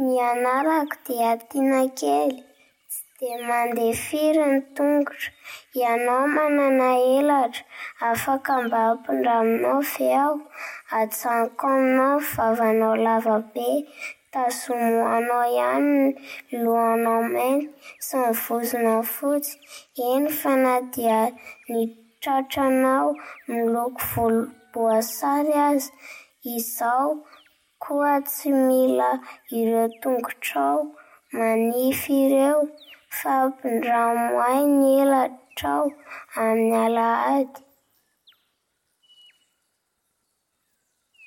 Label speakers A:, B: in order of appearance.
A: Ny anarako dia Tiana kely, tsy dia mandeha firy ny tongotro. Ianao manana elatra, afaka mba ampindraminao ve aho? Ajanoko aminao ny vavanao lava be. Tazomy ho anao ihany ny lohanao mainty sy ny vozonao fotsy, eny fa na dia ny tratranao miloko volomboasary aza. Izaho koa tsy mila ireo tongotrao manify ireo, fa ampindramo ahy ny elatrao amin'ny alahady.